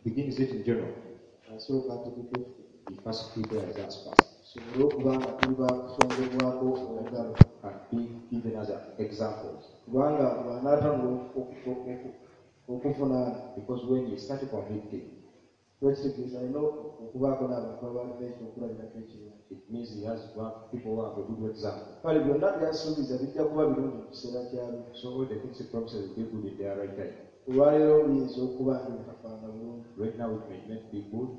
Begins it in general. Asooka ategeke ffe He first prepares us first tusobole okuba nga tuli bakusongebwako olugalo and be given as examples. Kubanga bw'anaatandika okuvunaana Because when he started convicting, kiba kitegeeza alina okubaako n'abantu abalina ekyokulabirako ekirungi. It means he has to have people who have a good example. Kale byonna byasuubiza bijja kuba birungi mu kiseera kyabyo. So all the things he promises will be good in their right time. Olwaleero biyinza okuba nga bitafaanana bulungi. Right now it may not be good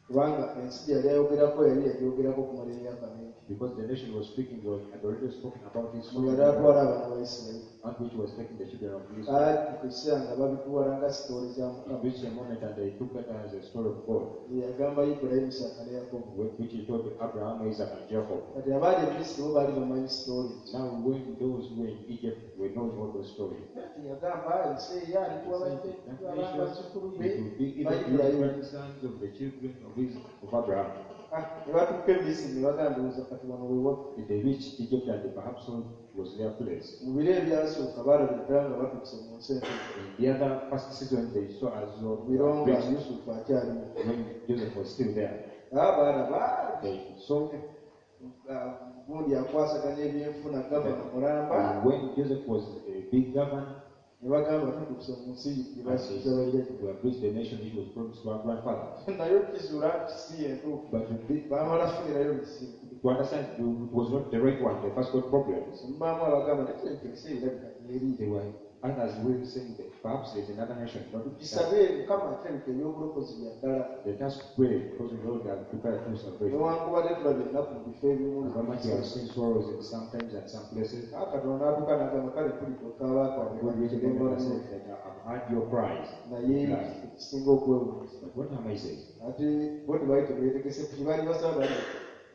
Kubanga ensi gye yali ayogerako yali yagyogerako okumala emyaka mingi. Because the nation was speaking was had already spoken about this Mwe yali atwala abaana ba Isirayiri. and which was taking the children of Israel. Kaatuuka ekiseera nga babitwala nga story za It Mukama. reached a moment and they took it as a story of God, Ye yagamba Ibulayimu, Isaaka ne Yakobo. which he told Abraham, Isaac, and Jacob. Kati abaali e Misiri bo baali bamanyi story. Now when those who were in Egypt were knowing all those stories, Kati yagamba ensi eyo alikuwa that nation, bazzukulu be it will be ba given to the Ibulayimu. grandsons of the children of Abraham. Ah, ne batuuka e Misiri ne bagamba ndowooza kati wano we waffe. If they reached Egypt and they perhaps saw it was their place. Mu biro ebyasooka baalabira ddala nga batuuse mu nsi entuufu. In the other first season, they saw as though Mu biro nga reached Yusufu akyaliwo. when Joseph was still there. Ah, baalaba They saw ah, gundi akwasaganya ebyenfuna gavana mulamba when Joseph was a big governor, ne bagamba tutuuse mu nsi gye and basuubiza they bajjajja. we have reached the nation which was promised to our grandfathers. Naye okizuula nti si yentuufu. But to, be, Baamala kufunirayo bizibu. To understand it was not the right one, they first got problems. Mubaamu abagamba tekirabika ensi erabika eri. There were others who were saying that perhaps there's another nation. Not that. Tukisabe Mukama kirabika eby'obulokozi bya ddala. Let us pray because the Lord has prepared true salvation. Newankubadde tulabye ennaku mu bifo ebimu. How much you have seen sorrows in some times and some places. Ah, Katonda n'atuuka n'agamba kale mpulidde okaaba God reached a moment and kwawe said that I've heard your cries. naye ekisinga okwewuunyisa But what am I saying? Ate bo tebaali tebeetegese ku kye baali basaba baali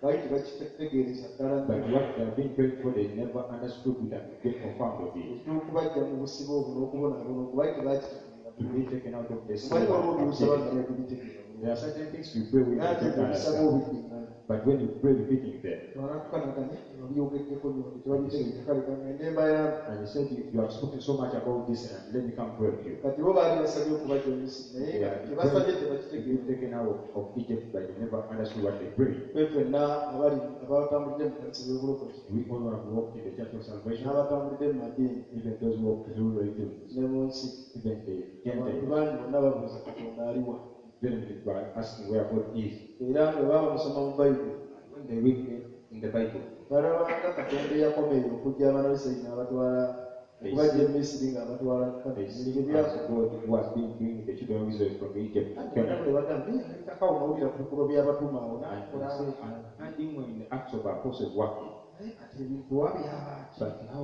baali tebakitegeereza ddala But nnyo. what they have been praying for, they never understood it and get confirmed of it. Eky'okubaggya mu busibe obwo n'okubonaabona okwo baali tebakitegeera To be taken out of the Omanyi waliwo by'osaba slavery. nga tebabitegeera bulungi. There are certain things you pray with Naye you ate don't bw'obisaba understand. obiddiŋŋana. But when you pray repeating them, Bw'anaatuuka n'agamba, "Eh, babyogeddeko nnyo tebabitegeera kale kangende mbayambe." and he said, you have spoken so much about this, and let me come pray with you. Kati bo baali basabye okubaggya mu Misiri naye They nga are kye basabye been tebakitegeera. Taken out of Egypt, but they never understood what they prayed. Ffe ffenna abali abatambulidde mu kanisa y'obulokozi We all have walked in the church of salvation, n'abatambulidde mu madiini even those who walked through religions, ne mu nsi even the abantu Gentiles, bangi bonna babuuza Katonda aliwa. Then they were asking where God is. Era nga baba basoma mu Bayibuli When they read it in the Bible, balabanga Katonda eyakomerera okujja abaana ba Isirayiri n'abatwala okubaggya e Misiri ng'abatwala they see Kanani as God who has been bringing the children of Israel from Egypt to Canaan. ne bagamba "Eh, alabikako awo nawulira ku bikolwa by'abatume awo And n'akola they say, I'm finding when the Acts of Apostles working, naye kati ebintu wa byaba ki?" But how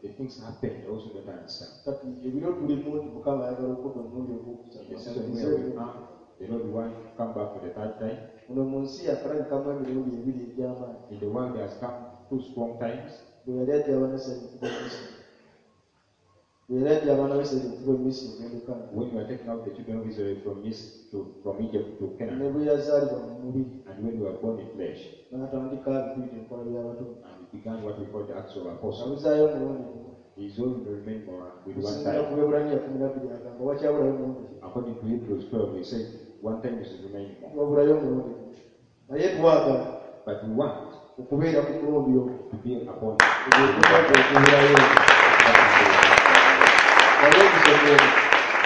the things happen, they also don't understand. Kati ebiro tulimu nti Mukama ayagala okudda omulundi ogwokusatu. The season where we are, the Lord wants to come back for the third time. Muno mu nsi yakalabikamu emirundi ebiri egy'amaanyi. In the world, there has come two strong times. Bwe yali ajja abaana ba Isirayiri okuva e Misiri bwe yali ajja abaana ba Isirayiri okuva e Misiri ogenda e Kanani When you are taking out the children of Israel from Egypt to, from Egypt to ne Canaan, bwe yazaalibwa mu mubiri and when you were born in flesh, n'atandika bituyita enkola by'abatume. And it began what we call the Acts of Apostles. Abuzaayo omulundi gumu. He's only remained more with one Okusinziira time. ku Bebbulaniya 12 agamba wakyabulayo omulundi gumu. According to Hebrews 12, he said one time is remaining more. Wabulayo omulundi gumu naye twagala But we want okubeera ku mulundi ogwo to be upon ogwo okubulayo wali okusoma ogwo.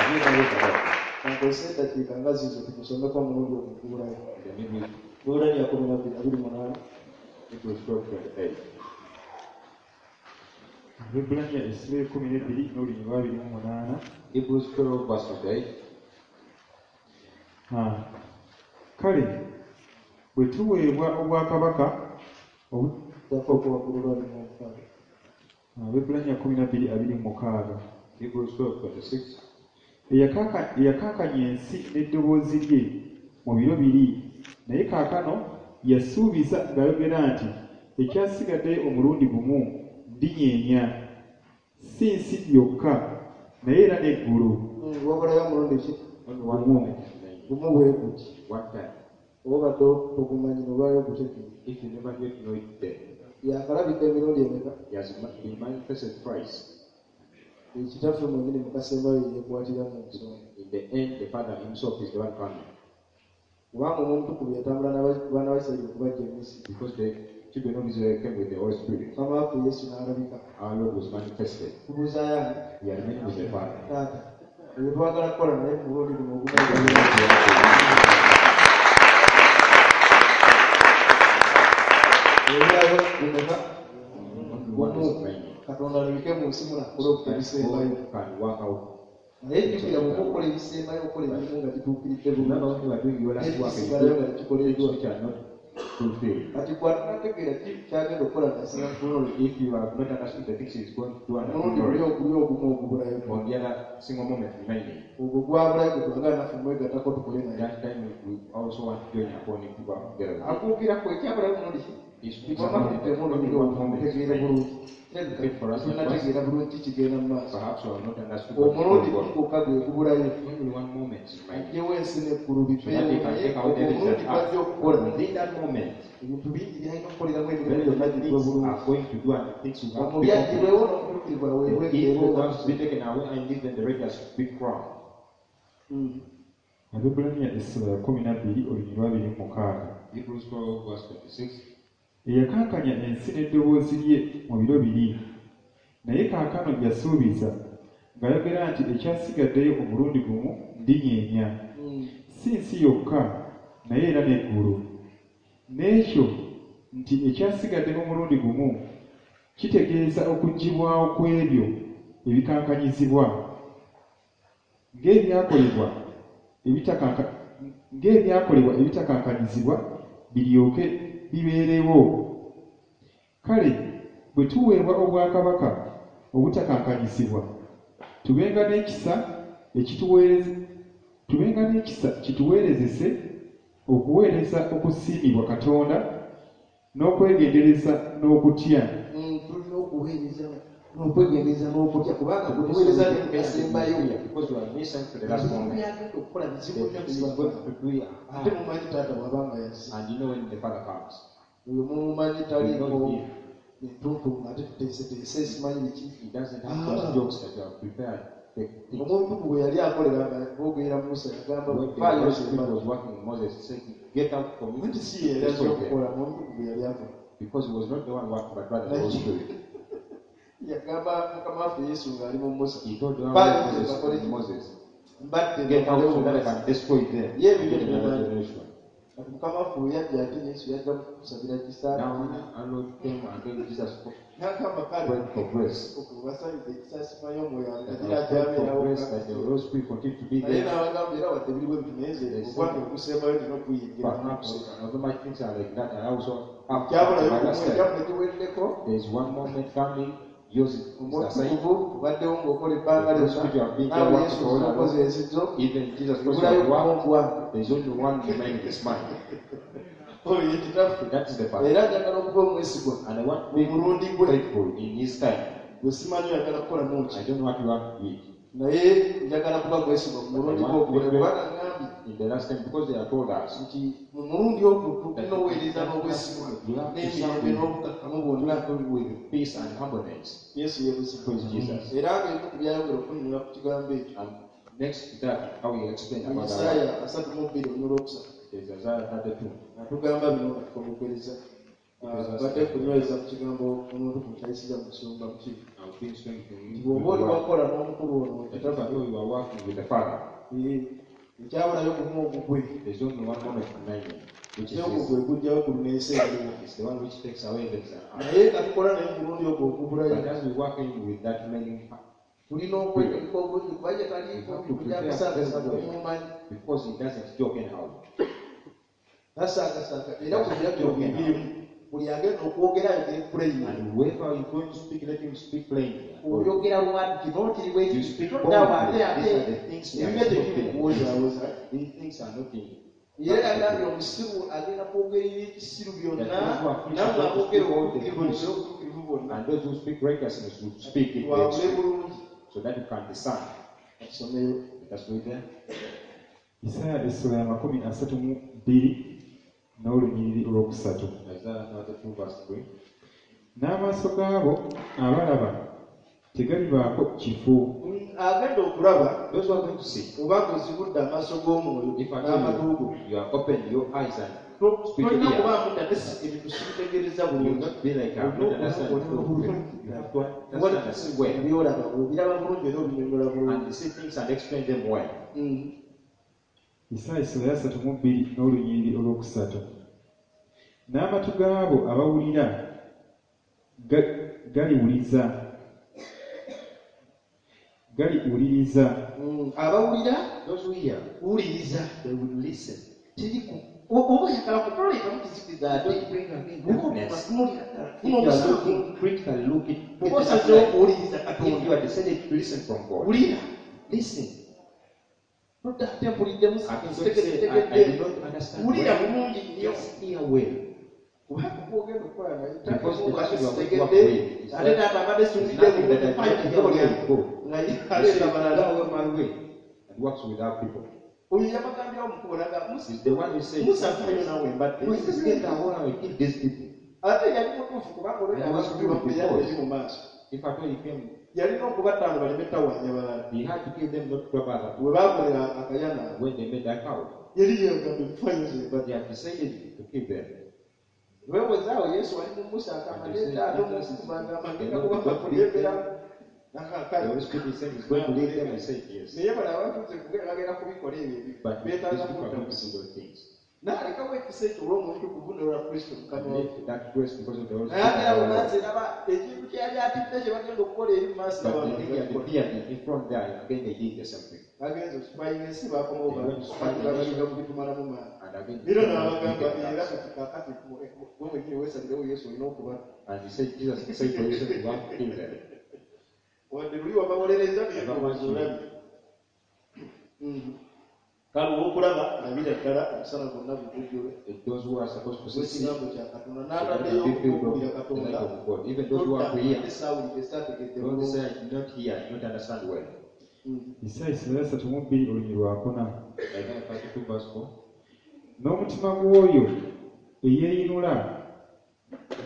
Have you ever read about Kankozese eddakiika nga ziizo tumusomeko omulundi ogwo ogubulayo. The Hebrews, Bebbulaniya 12:28. Hebrews 12, 28. Abebbulaniya essula 12 n'olunyiriri lwa 28. Hebrews 12, verse 28. Ah. Kale bwe tuweebwa obwakabaka Ddako waggulu lwa 26. Abebbulaniya 12:26. Hebrews 12, 26. Eyakankanya ensi n'eddoboozi lye mu biro biri naye kaakano yasuubiza ng'ayogera nti ekyasigaddeyo omulundi gumu ndinyeenya si nsi yokka naye era n'eggulu. Wabulayo omulundi ki? Only one Gumu. moment is remaining. Gumu bwe guti. One time. Oba obadde togumanyi n'olwayo ogutegeera. If you never get to know it then, Yakalabika emirundi emeka? he has been manifested thrice. Ekitaffe mwennyini mu kasembayo yeekwatira mu nsonga. In the end, the Father himself is the one coming. Kubanga Omwoyo Omutukuvu yatambula n'abaana ba Isirayiri okubaggya e Misiri. Because the children of Israel came with the Holy Spirit. Mukama waffe Yesu n'alabika. Our Lord was manifested. Tubuuzaayo ani? We are remaining with the Father. Taata. Ebyo twagala kukola naye ku mulundi guno ogumu. Ebirabo bimeka? Only one is remaining. Katonda alabike mu nsi muno akole That ebisembayo. God can work out. Naye jjukira bw'oba okola ebisembayo okola emirimu nga gituukiridde Remember bulungi. when you are doing your last work and you N'ebisigalayo do nga tekikoleddwa. things which are not fulfilled. Kati gw'atunategeera ki ky'agenda okukola ng'asinga kutunuulira. If you have not understood the things he is going to do and Omulundi guli not oguli ogumu ogubulayo. on the other single moment remaining, Ogwo gwabulayo gwe twagala naffe mwegattako tukole naye. that time we also want to join upon him to work together with him. Akwogera ku ekyabulayo mulundi ki? He speaks Wamma about it, tuddemu only olulimi one moment mutegeere remaining. bulungi. Tunategeera bulungi ki kigenda mu maaso. Perhaps we have not understood what is Omulundi going on. gwokka gwe gubulayo. Only one moment is remaining. Aggyewo ensi n'eggulu So that biveewo he can naye take away the ogwo omulundi evidence gw'ajja okukola. Within that moment, Ebintu bingi by'alina okukoleramu emirimu very gyonna many gigwe things bulungi. are going to do and things will have to Omubi be aggyibwewo complete. n'omutuukirivu aweebwe The evil emirembe. wants to be taken away and even the righteous to be crowned. Abebbulaniya essula ya 12 olunyiriri lwa 26. Hebrews 12 verse 26. Eyakankanya ensi n'eddoboozi lye mu biro biri, naye kaakano yasuubiza ng'ayogera nti ekyasigaddeyo omulundi gumu ndinyeenya, si nsi yokka naye era n'eggulu. N'ekyo nti ekyasigadde omulundi gumu kitegeeza okuggyibwawo kw'ebyo ebikankanyizibwa ng'ebyakolebwa ebitakankanyizibwa biryoke bibeerewo. Kale bwe tuweebwa obwakabaka obutakankanyizibwa, tubenga n'ekisa kituweerezese okuweereza okusiimibwa Katonda n'okwegendereza n'okutya. Tulina okuweereza n'okwegendereza n'okutya kubanga bwe tuweereza ne tukasembayo. Because you are missing to the last Ebizibu moment. by'agenda okukola bizibu The nnyo things he's going tebibagamba. to do are Ate hard. mumanyi taata bw'aba nga yazze. And you know when the Father comes. Oyo mumumanyi You taliiko know him. entuntumu ate tuteeseteese simanyi biki. He doesn't have those jokes that you have prepared. The things. Omuntu bwe yali akolera nga boogera Musa yagamba When the faayo Holy Spirit osembayo. was working with Moses, he said, get out from me. Nti si ye yali azze Destroy them. okukola omuntu bwe yali akola. Because he was not the one working, but rather the Holy Spirit. Yagamba Mukama waffe Yesu ng'ali mu Musa. He told the one Faayo Moses, bakole ki? Moses, Mbadde get out so that I mbalewo. can destroy them. Ye and ebibyo get another tebimanyi. generation. Kati Mukama waffe bwe yajja ate Yesu yajja kusabira kisa. Now when our Lord came and then Jesus N'agamba kale prayed for grace. okubasabidde ekisa simanyi omwoyo That agira I prayed for akyabeerawo. grace that the Holy Spirit continue to be Naye there. n'abagamba era wadde biriwo ebintu naye nze ogwange ogusembayo nina okuyingira. Perhaps although my things are like that, I also have Kyabulayo my gumu last time. ekyammwe kiweddeko. There is one moment coming, yours is assigned. Omutukuvu obaddewo ng'okola ebbanga The lyonna Spirit you have been there naawe working Yesu for all okoze along. ensizo Even Jesus Christ ebulayo has worked. gumu ogwange. There is only one remaining, is mine. Oyo ye kitaffe. That is the Father. Era njagala okuba omwesigwa And I want to mu be mulundi gwe faithful in his time. gwe simanyi oyagala kukolamu ki I don't know what you want to do. naye njagala kuba mwesigwa mu mulundi gwe ogubulayo kubanga ngambye In the last time, because they have told us nti mu mulundi ogwo tulina oweereza n'obwesigwa you have to serve n'emirembe with, n'obukakkamu bwonna. with peace and humbleness. Yesu yeebuzibwa. Praise Jesus. Era ng'ebimu ku byayongera okunnyonnyola ku kigambo ekyo And next to that, how we explain mu about our Isaaya 32:3 there's Isaiah 32. atugamba bino nga tukomekereza. Badde kunyweza ku kigambo omuntu ku kyayisiza mu nsonga muki. I've been strengthening Nti you bw'oba with oli the word. wakola n'omukulu ono That if I know you are working with the Father, ekyabulayo gumu ogugwe there's only one moment remaining, which is ogwo this. gwe gujjawo ku n'ensi eriwo. It's the one which takes away the earth. Naye nga tukola naye mu mulundi ogwo ogubulayo But as we work in with that remaining, tulina okwetegeka obulungi kuba ye taliiko kujakusaagasaaga mumumanyi because he doesn't joke anyhow. tasaagasaaga era buli byajja buli agenda okwogera ayogere puleyini. And whoever is going to speak, let him speak plainly. Oyogera lwatu kino kiri bwe You kiti speak toddawo ate boldly. ate These are the things we are ebibyo not tebiri kuwozaawoza. These things are not in. Era yagambye omusiru agenda kwogera ebyekisiru byonna nammwe aboogera obutuukirivu mwogere obutuukirivu bwonna. And those who speak righteousness will speak it Twawule next, bulungi. so that you can discern. Katusomeyo. Let us read there. Isaaya essula ya 32 n'olunyiriri olwokusatu. Isaiah 32 verse 3. N'amaaso gaabo abalaba Tegalibaako kifo. Agenda okulaba Those who are going to see, obanga ozibudde amaaso g'omwoyo if at n'amatu all go, you are open your eyes and tolina ear. kubaamu dda ate ebintu sibitegereza you will bulungi. not be like a not understand. You have to understand the square Byolaba obiraba bulungi era obinyonyola bulungi. and see things and explain them well. Isaaya essula ya 32 n'olunyiriri olwokusatu. N'amatu gaabo abawulira galiwuliriza. Abawulira Those who hear, wuliriza. they will listen. Teri ku oba oyagala kutolekamu kizikiza ate Don't bring again darkness. tunuulira ddala. If you are looking critically, looking Oba osazeewo okuwuliriza if Katonda, you are decided to listen from God, wulira. listen. Todda ate mpuliddemu I can not say, I do not understand wulira well. bulungi nnyo. Just hear well. Kubanga gw'ogenda okukola naye Because the ate person you are going to work sitegedde with is ate not, taata abadde is suulidde nothing that I do not hear well. Go. nga You aleeta say, balala. go away my way and works without people. Oyo yabagambirawo mukubo naga It's the one who said, Musa nfayo naawe mbadde. Moses, get away and kill these people. Ate yali mutuufu kubanga olwedda And he was abantu true bamuyadde because eri mu maaso. If at all he came, Yalina okubattaano baleme ttawanya balala. he had to kill them, not grab other We baakolera akayana people. When they made that cow, yali yagamba nfayo nze mbadde. they had decided to kill them. Weewozaawo Yesu ali mu Musa agamba And they leeta said, ate Jesus omuntu is agamba the ngenda Lord kubanga God lead kulembera. them. The Holy Spirit is saying he's going to lead them and say yes. Naye bano abatuuze kugenda bagenda kubikola ebyo ebintu. But these Beetaaga people are kudda going to see those things. N'alekawo ekisa ekyo olw'omuntu kuvunula Kristo Mukama And waffe. left that grace because of the Holy Naye agera mu Spirit. maaso eraba ekintu kye yali atidde kye bagenda okukola eri mu maaso But n'abantu the thing that bakikola. appeared in front there, again they did the same thing. Bagenze okusipayinga ensi bakomawo They went to spy the babalinga mu bitumalamu maanyi. And again, Era they n'abagamba did era that. kati kaakati gwe mwennyini weesalirewo Yesu olina okuba. And he said, Jesus said for yourself, you have to kill them. Wadde luli wabawolereza naye Abamanyi. olabye. Kale olw'okulaba labira ddala omusana gwonna gukujjule Those who are supposed to see, see, gw'ekigambo kya Katonda they n'ataddeyo be filled okuwulira of the Katonda. light of God. Even those who are to hear, Saawulidde saategedde don't bulungi. say, I did not hear, I did not understand well. Isaaya essula ya 32 olunyiriri lwakuna. Isaiah 32 verse 4. N'omutima gw'oyo eyeeyinula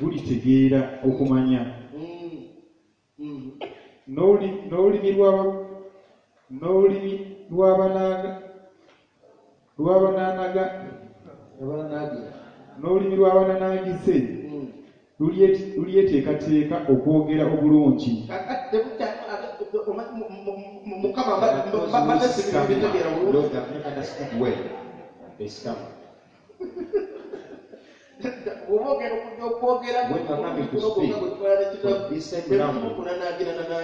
gulitegeera okumanya, n'olulimi n'olulimi lw'abananaagize lulyeteekateeka okwogera obulungi. Kakati Mukama mbadde sibitegeera bulungi. Lord, have not understood well. They stammer. Bw'oba ogenda okujja okwogera When you are coming to speak, from this same language, there's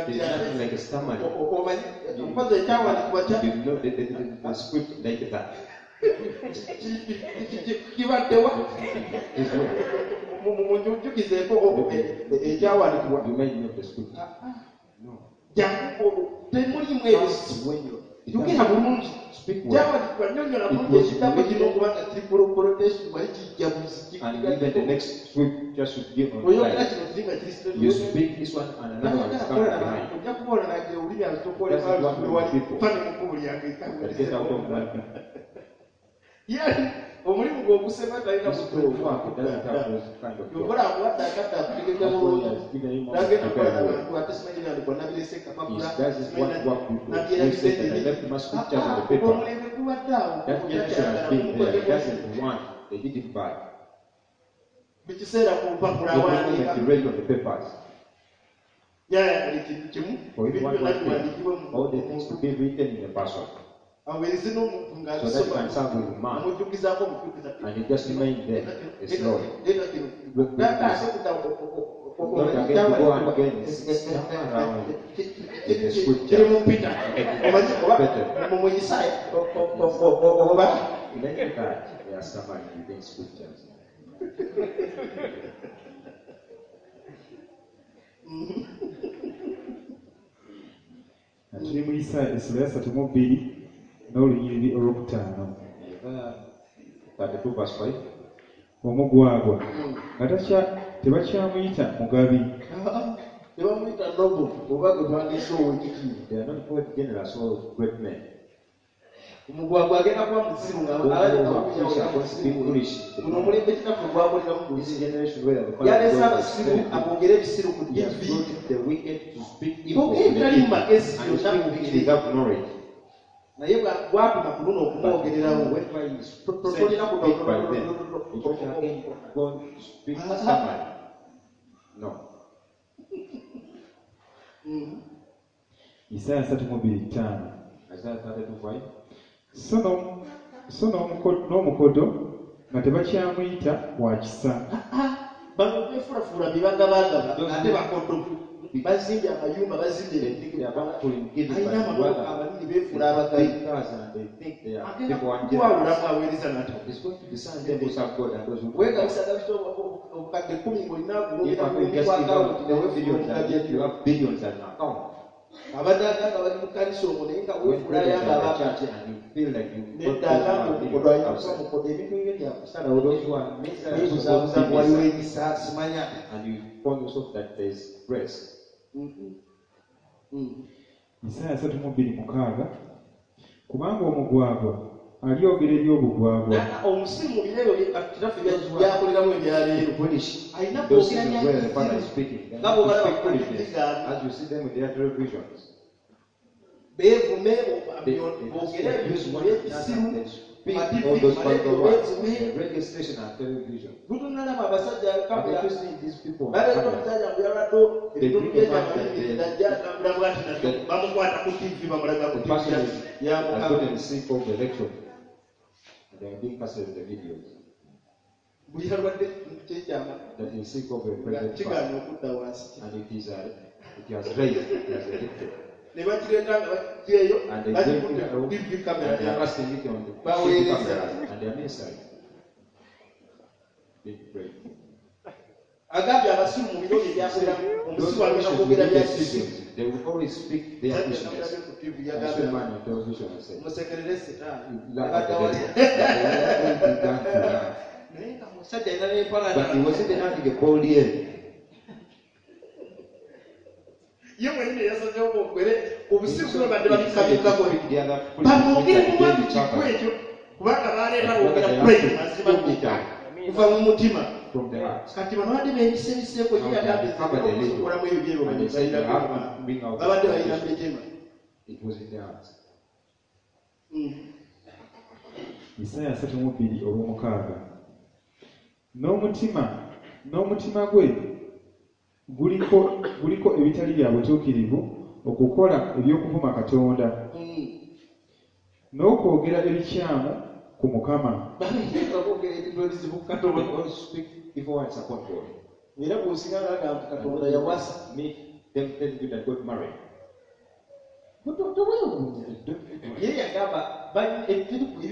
nothing like a stammering. Omanyi okoze ekyawandiikibwa kya You know the script like that. kibaddewa It's well. munjukizeeko ekyawandiikibwa. You may know the script. No. Jangu temulimu ebyo. When you Yogera bulungi. speak well, Kyawandiikibwa nnyonnyola bulungi ekigambo kino okubanga kiri quotation wali kijja buzi. and even the next script just should give on Oyogera light. kino kiri nga kiri You speak this one and another one is coming behind. ojja kuba olanagira olulimi That's what wali people. fane mu kkubo lyange. That get out of one people. Yali omulimu gwe ogusema talina This great work doesn't have those kind of job. Yokola akuwadde akadde akutegeka That's why he bulungi. has given him all Nagenda to kukola prepare well. n'abantu ate simanyi byandikwa nabirese He kapapula does his one work before. He said that I left my scriptures on the paper. Omulembe gubadde awo. That generation has been there. He doesn't want. They did it bad. Mu kiseera ku mpapula The moment awandiika he read on the papers, yayagala ekintu kimu for him ebintu one byonna one thing, biwandiikibwe mu all the things to muntu be written in a person, aweereze n'omuntu so that you ng'abisoma can serve with man, amujjukizaako omujukiza and it just remain there. It's Lord. leeta kino Look, Data this. ate kudda Not again to go and again stammer around in the scripture. kiri mu mpita omanyi oba Better. mu Isaaya oba Like that, they are stammering within scriptures. Nga tuli mu Isaaya essula ya 32 n'olunyiriri olwokutaano. Isaiah 32 verse 5. Omugwagwa nga tebakyamuyita mugabi, tebamuyita nobo oba gwe twandiise ow'ekitiibwa. They are not called generous or great men. Omugwagwa agenda kuba musiru nga Those who alabika are foolish are okuyawo going to be foolish. Guno omulembe kitaffe gwakoleramu This guzi generation where the Father yalese God is abasiru very good. abongere ebisiru ku He has TV brought the wicked to speak evil bogere in the ebitali mu people magezi and to byonna speak things bogere without knowledge. Naye bwatuma ku luno But okumwogererawo whenever he is sent to tolina speak by them, you don't again go to speak somebody. No. Isaaya 32:5. Isaiah 32:5. So so n'omukodo nga tebakyamuyita wa kisa. Bano befuulafuula bibagabagaba ate bakodo bazimbye amayumba bazimbye They think they are bountiful in giving, alina but amamotoka rather amanene beefuula abagayi big cars and they think they are agenda people and kuwawulamu generous. aweereza nata It's going to discern them who serve God and those who don't. weegabisagabisa obukadde 10 ng'olina If I could just give out 10 billions and yet you have billions in account, abadde agamba bali mu kkanisa omwo naye nga when weefuula brothers ayamba are in the abantu church and you feel like you got nedda those agamba who are omukodo billions alina kuba outside. mukodo ebintu bibyo byakusalawo Those who are miserable are weebuzaabuza supposed to be waliwo miserable. ekisa simanya. And you find yourself that there's grace. Isaaya 32:6 kubanga omugwagwa alyogera eby'obugwagwa. Omusiru mu biro ebyo kitaffe byakoleramu ebyaleero Foolish. alina Those kwogera seasons where the Father is byakisiru speaking, they nga have to bw'obalaba speak ku foolishness. gaabwe As you see them with their televisions, beevume they boogere use one ebyekisiru another, they speak ma TV, all those ma vulgar radio, words. beevume. The radio station and television. Lutunalaba abasajja But kamera if you see these people on baleeta camera, omusajja mbu yalwadde ebitundu byekyamalimiriza ajja atambula bwati nabyo bamukwata ku TV bamulaga ku the TV person is ya has Mukama gotten sick of the lecture. And they are being casted in the videos. bwe yalwadde ekitundu kyekyama That is sick of a nga present fast. kigaana okudda wansi And it has raised, it has addicted. ne bakireeta nga bakiteeyo And they bring bakikutte it ku out TV and kamera they are casting it on the TV Baweereza. cameras and they are ministering. Big break. Agambye abasiru mu biro bye byakoleramu Those omusiru agenda foolishness kwogera within the byakisiru seasons, they will always speak their foolishness. ku TV I saw a yagambye man on television and said, musekerere setaani "You laugh at the devil." They will began to laugh. Naye nga musajja alina n'empalana But he was even having a cold ear. Ye mwenyini yasazeewo boogere He obusiru said buno badde he decided to babikkabikako speak the other foolishness bamwogere that mu they mwatu covered. kiku ekyo kubanga baleeta But boogera they have praise to mazima put it down kuva mu mutima from the heart. Kati bano badde beebisebiseeko ye Now they yagambye have covered a little. okukolamu ebyo byebyo And they said they have to bring out the babadde balina mu foundation. mitima. It was in their hearts. Isaaya 32:6 n'omutima gwe guliko ebitali bya butuukirivu okukola eby'okuvuma Katonda n'okwogera ebikyamu ku Mukama. Babeera boogera ebintu ebizibu ku They Katonda always speak evil words upon God. Era bw'osinga ngagamba nti Katonda yawasa Meet them telling you that God married. Tewewuunya Don't be ye yagamba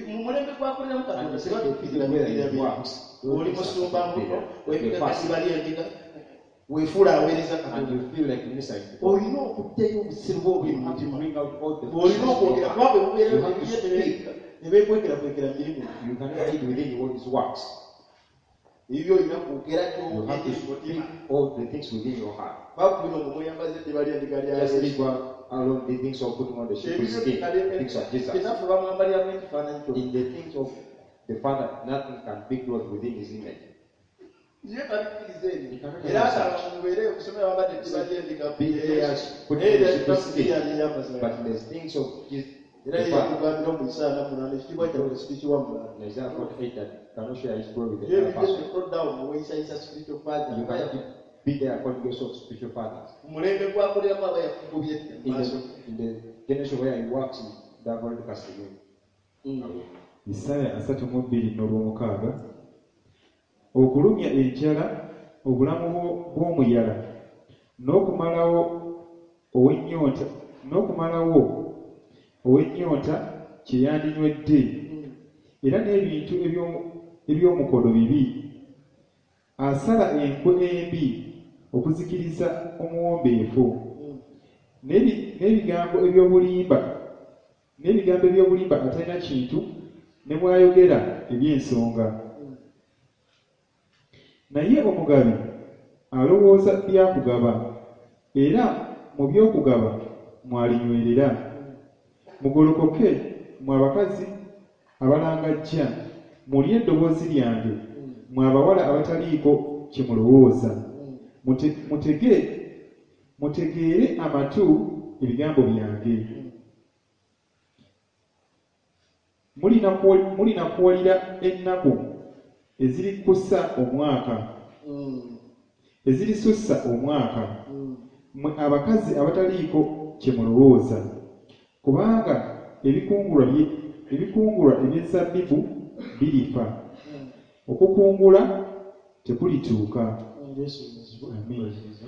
mu mulembe gwakoleramu And Katonda they say the tebatuukirira people where bigira it bye works. oli musumba mbuno The webiga pastor. bali endiga weefuula aweereza And Katonda you feel like ministering to God. olina okuggyayo obusiru bwe obuli You mu have to mutima bring out all the olina okwogera kuba bwe bubeera You have to speak. ne beekwekerakwekera mirimu You cannot hide within you all his works. Ebyo olina kwogera You have to kyogere mutima speak all the things within your heart. bakubino nga mweyambaza eddiba ly'endiga lya Just Yesu leave alone the things of putting on the sheep's skin, things of Jesus. Kitaffe bamwambaliramu ekifaananyi kyonna In the things of the Father, nothing can be clothed within his image. Ye tabikkiriza ebyo You cannot era have asaba such. mubeere okusomera bambadde eddiba ly'endiga Be there, putting Naye on the era sheep's kitaffe skin. yali But in the things of Jesus, era the ye Father, yakugambira mu Isaaya 48 ekitiibwa kyabwe sikikiwa mulala in Isaiah 48, that cannot share his glory with ye another person. toddawo muweeyisayisa spiritual father You cannot be there calling yourself spiritual fathers. Mu mulembe gwakoleramu aba yakugobye edda mu In maaso the, in the generation where he works, they have already casted him away. Isaaya 32:6 okulumya enjala obulamu bw'omuyala n'okumalawo ow'ennyonta kye yandinywedde era n'ebintu eby'omukodo bibi asala enkwe embi okuzikiriza omuwombeefu n'ebigambo eby'obulimba atalina kintu ne bw'ayogera eby'ensonga naye omugabi alowooza byakugaba era mu by'okugaba mwalinywerera mugolokoke Mwe abakazi abalangajja, muwulire eddoboozi lyange, mwe abawala abataliiko kye mulowooza. Mutegeere amatu ebigambo byange. Mulinakuwalira ennaku ezirisussa omwaka, mmwe abakazi abataliiko kye mulowooza, kubanga ebikungulwa eby'ezabbibu birifa, okukungula tekulituuka.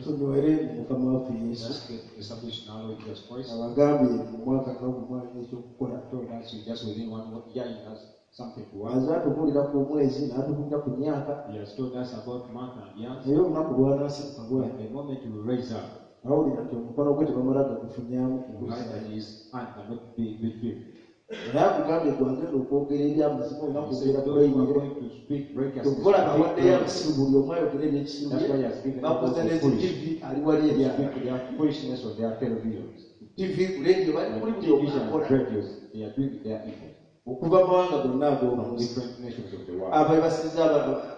Tunywere mu Mukama waffe Yesu. Let's get established in our Lord Jesus Christ. Abagambye mu mwaka nga gumu alina ekyokukola. Told us you just within 1 year he has something to work. Aze atubuulira ku mwezi n'atubuulira ku myaka. He has told us about month and years. Naye olunaku lw'anaasituka bw'atyo, But the moment you raise up, awulira nti omukono gwe tebamala gagufunyamu you find that his hand cannot be retrieved. Era akugambye gwagenda okwogera ebyamazima olina He said, kwogera those who are kulayirire. going to speak righteousness, Kyova olaba speak awaddeyo righteousness. abasiru buli omu ayogera ebyekisiru That's bye. why he has given up Bakoze all the ne foolish TV ali wali to ebyala. speak their foolishness on their televisions. TV ku radio bali And kuli buli omu television akola. and radios, they are doing their evil Okuva mu mawanga gonna from ag'omu nsi. different nations of the world. Abebasiza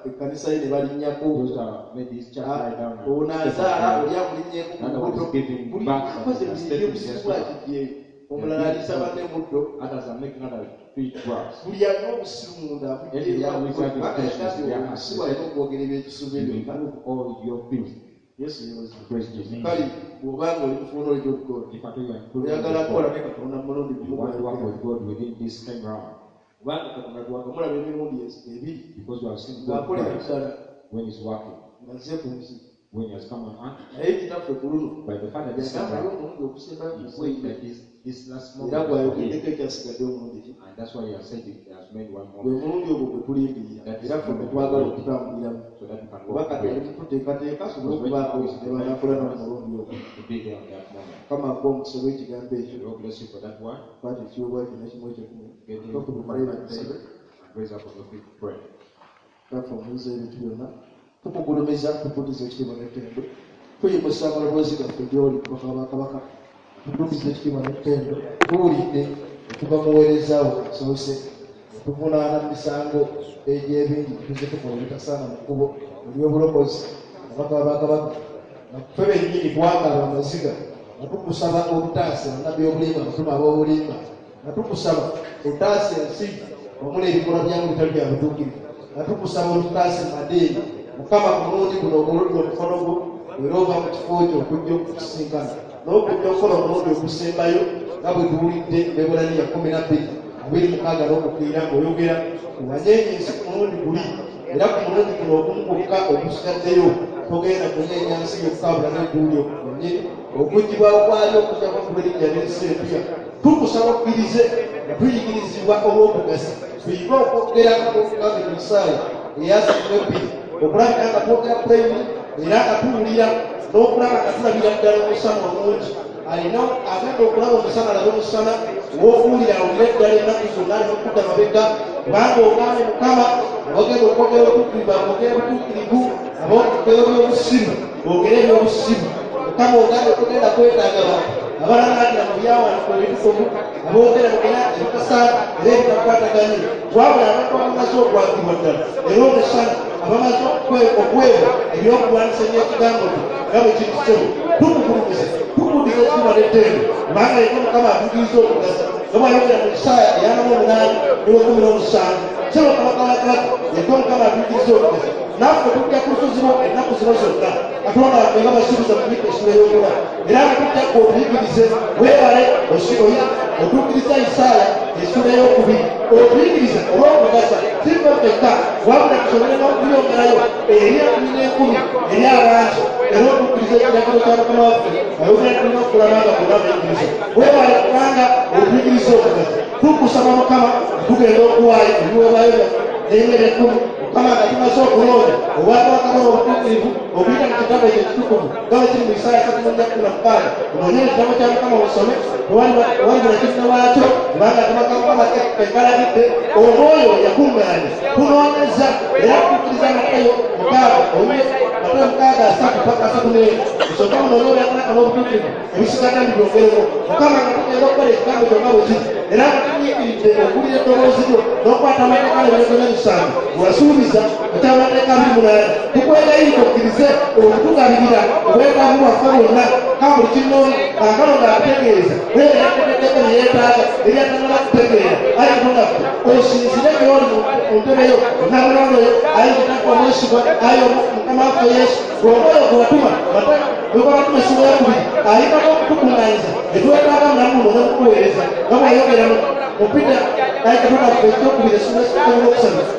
ekkanisa ye ne balinnyako. Those that made this church lie down and Ono step azaala up oli amulinnyeeko ku Another one lubuto. is giving Buli back akoze and ebintu stepping eby'obusiru their bw'akigyeyo. Omulala aliisa banne muddo. Others are making other feet drugs. Buli alina obusiru munda avudde Everyone who is having kubanga foolishness in yagambye their heart, obusiru alina okwogera ebyekisiru You byokka. remove all your filth. Yesu yeebazibwe. Praise Jesus. Kale bw'obanga oli mufuuna oli God, If at all you are improving oyagala with kukola God, ne Katonda mu mulundi you gumu want to work gw'ayogera. with God within this time round, Kubanga Katonda twakamulaba emirundi ebiri because you have seen God ng'akolera twice ddala when He's working, ng'azze ku nsi. when He has come on earth. Naye kitaffe ku luno By the Father this time yagambayo round, omulundi ogusembayo He ku said gwe that this last era moment is for Him. gwayogeddeko ekyasigadde omulundi ki. And that's why He has said it, He has made one Gwe more mulundi ogwo gwe tulindirira That is era ffe gwe twagala okutambuliramu. so that we can Kuba walk kati ali with mututeekateeka asobole okubaako ne banaakola nabo mulundi ogwo. to be there on that moment. Mukama akuwa omukisa gw'ekigambo ekyo. The Lord bless you for that one. Kwata ekiweebwayo kyonna kimu ekyekumi. Get him Tukumale to tusabe. and raise up on your feet to pray. Kitaffe omuyinza ebintu byonna, tukugulumiza, tukudiza ekitiibwa n'ettendo. Tuyimusa amaloboozi gaffe gy'oli Kabaka wa bakabaka. Tukudiza ekitiibwa n'ettendo. Tuwulidde okuva mu buweereza wo asoose. Tuvunaana mu misango egy'ebingi tuze tukola ebitasaana mu kkubo ery'obulokozi. Kabaka wa bakabaka, nga ffe bennyini twakaaba amaziga nga tukusaba obutaasa bannabbi b'obulimba, abatume ab'obulimba, nga tukusaba otaasa ensi omuli ebikolwa byamu bitali bya butuukirivu, nga tukusaba otutaase mu madiini. Mukama ku mulundi guno oguludde omukono gwo era ova mu kifo kyo okujja okutusisinkana n'okujja okukola omulundi ogusembayo nga bwe tuwulidde Abaebbulaniya 12:26 n'okukkirira ng'oyogera wanyeenya ensi ku mulundi guli era ku mulundi guno ogumu gwokka ogusigaddeyo togenda kunyeenya nsi yokka wabula n'eggulu lyokka lyennyini okuggyibwawo kwalyo okujjako okuba erinnya n'ensi empya. Tukusaba okkirize nga tuyigirizibwa olw'okugasa tuyige okwogera nga bw'ogambye mu Isaaya 32 okulabika nga twogera pulayini era nga tuwulira n'okulaba nga tulabira ddala omusana omungi. Alina agenda okulaba omusana alabe omusana, ow'okuwulira awulire ddala ennaku zonna alina okudda mabega, kubanga ogambye Mukama abagenda okwogera obutuukirivu boogere butuukirivu, aboogera ebyobusiru boogere ebyobusiru. Mukama ogambye togenda kwetaaga bantu abalangaatira mu byawandiikibwa ebitukuvu, aboogera bogera ebitasaana era ebitakwataganye, wabula abantu abamaze okwagibwa ddala era omusana abamaze okuweebwa ebyokulwanyisa eby'ekigambo kyo nga bwe kiri ssebo. Tukugulumiza, tukudiza ekitiibwa n'ettendo, kubanga yekka Mukama atuukiriza okugasa nga bw'ayogera mu Isaaya 48:17. Ssebo Kabaka wa kabaka, yekka Mukama atuukiriza okugasa. Naffe tujja ku lusozi lwo ennaku zino zonna, Katonda waffe nga basuubiza mu Mikka essula ey'okuna, era nga tujja kwe otuyigirize. Weebale otuukiriza Isaaya 2 otuyigirize olw'okugasa si ffe ffekka wabula tusobole n'okuyongerayo eri enkumi n'enkumi eri abantu, era otuukiriza ekiragiro kya Mukama waffe ayogera tulina okukola nga bonna bayigiriza. Weebale kubanga otuyigiriza okugasa. Tukusaba Mukama tugenda okuwaayo ebiweebwayo byaffe n'emmere ekkumi. Mukama nga tumaze okulonda obwakabaka bwa obutuukirivu okuyita mu kitabo ekyo ekitukuvu nga bwe kiri mu Isaaya 34:16. Onoonye ekitabo kya Mukama osome, tewalibula kinne waakyo, kubanga akabaka Mukama kekalagidde. Omwoyo yakuŋŋaanya tunoonyeza era tutuukiriza Matayo 6 Matayo Matayo 6:30 paka 34 osooka munoonye obwakabaka n'obutuukirivu ebisigadde ndibyongereko. Mukama nga tugenda okukola ekigambo kyonna bwe kiri era nga tunyiikiridde okuwulira eddoboozi lyo n'okukwata amateeka n'ebiragiro n'emisango wasuubiza ekyamateeka 28 tukwegayiridde okkirize okutugabirira obwetaavu bwaffe bwonna ka buli kinnoomu kaakano ng'akutegeeza naye yakutegeddeko bye yeetaaga ebyatanaba kutegeera. Ayi Katonda ffe osinzire gy'oli mu ntebe yo namulondo yo ayi kitaffe omwesigwa ayi Mukama waffe Yesu omwoyo gwe watuma gwe essuula eyokubiri ayitako okutukuŋŋaanyiza etwetaaga mulamu muno n'okukuweereza nga bw'ayogera mu Peter ayi Katonda ffe ekyokubiri essuula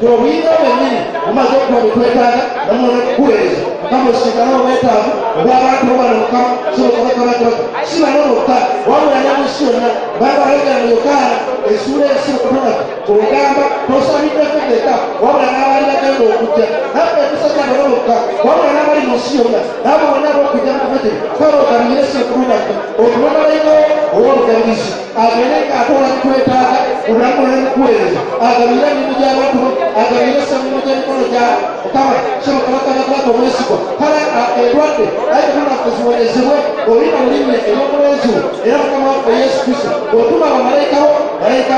13 obuyinza bwennyini bumaze okuba bwe twetaaga namuno n'okukuweereza. Mukama osinkane obwetaavu obw'abantu bo bano Mukama sebo kabaka si bano bokka wabula ne mu nsi yonna kubanga wayogera mu Yokaana essuula esi Katonda ogamba tosabidde ffe ffekka wabula n'abali bagenda okujja naffe tusabira bano bokka wabula n'abali mu nsi yonna n'abo bonna ab'okujja mu kifo kino kale ogabirire ssebo Katonda ffe otuwe malayika wo ow'obugabirizi agende ng'atoola bitwetaaga mu bulamu bwonna n'okuweereza agabirire emirimu gy'abantu bo agabirire emirimu gy'emikono gya Mukama ssebo kabaka bakabaka omwesigwa kale endwadde ayi Katonda ffe ziwonyezebwe olina mu linnya ery'omulenzi wo era Mukama waffe Yesu Kristo otuma bamalayika bo malayika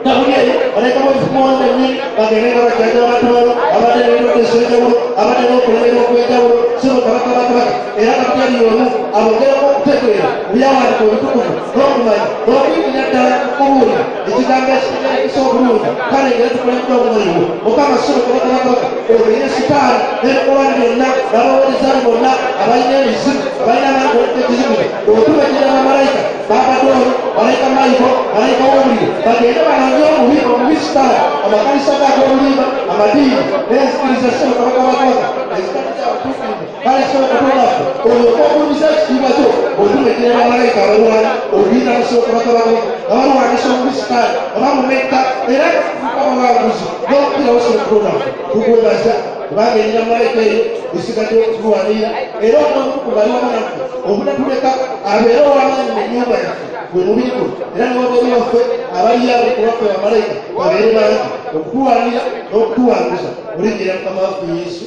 Gabulyeri malayika b'omufumu bennyini bagende nga bajjanjaba abantu bano abadde n'endwadde ez'enjawulo abadde n'okulemererwa okw'enjawulo ssebo kabaka bakabaka era Gabulyeri y'omu abongereko okutegeera mu byawandiikibwa ebitukuvu n'okumanya n'okuyingira ddala okubuulira ekigambo ekitegeerekesa obulungi kale ngeri tukulembera omwoyo wo Mukama ssebo kabaka bakabaka omenye sitaani n'ebikolwa byonna n'abaweereza be bonna abalina emizimu abalina amaanyi ekizibu otumekera bamalayika babadoolo malayika Mayiko malayika w'omuliro bagende balonye omubi sitaani amakanisa g'ag'obulimba amadiini n'enzikiriza ssebo kabaka bakabaka ezitali za butuukirivu kale ssebo Katonda ffe olyoke ogulumiza ekitiibwa kyo otumekera bamalayika abalwana okuyita mu ssebo kabaka bakabaka nga balwanyisa omubi sitaani nga bamumetta era tufuuka abawanguzi n'okukirawo ssebo Katonda ffe tukwebaza kubanga erina malayika eyo esigadde okutulwanirira era omutukuvu ali wamu naffe obutatuleka abeere ow'amaanyi mu nnyumba yaffe gwe mubiri gwe era n'wabweru waffe abaliyo abali ku lwaffe bamalayika babeere bangi okutulwanira n'okutuwanguza mu linnya lya Mukama waffe Yesu.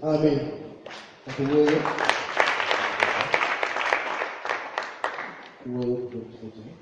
Amiina. Katuweeyo tuweeyo okuva ekifo kino.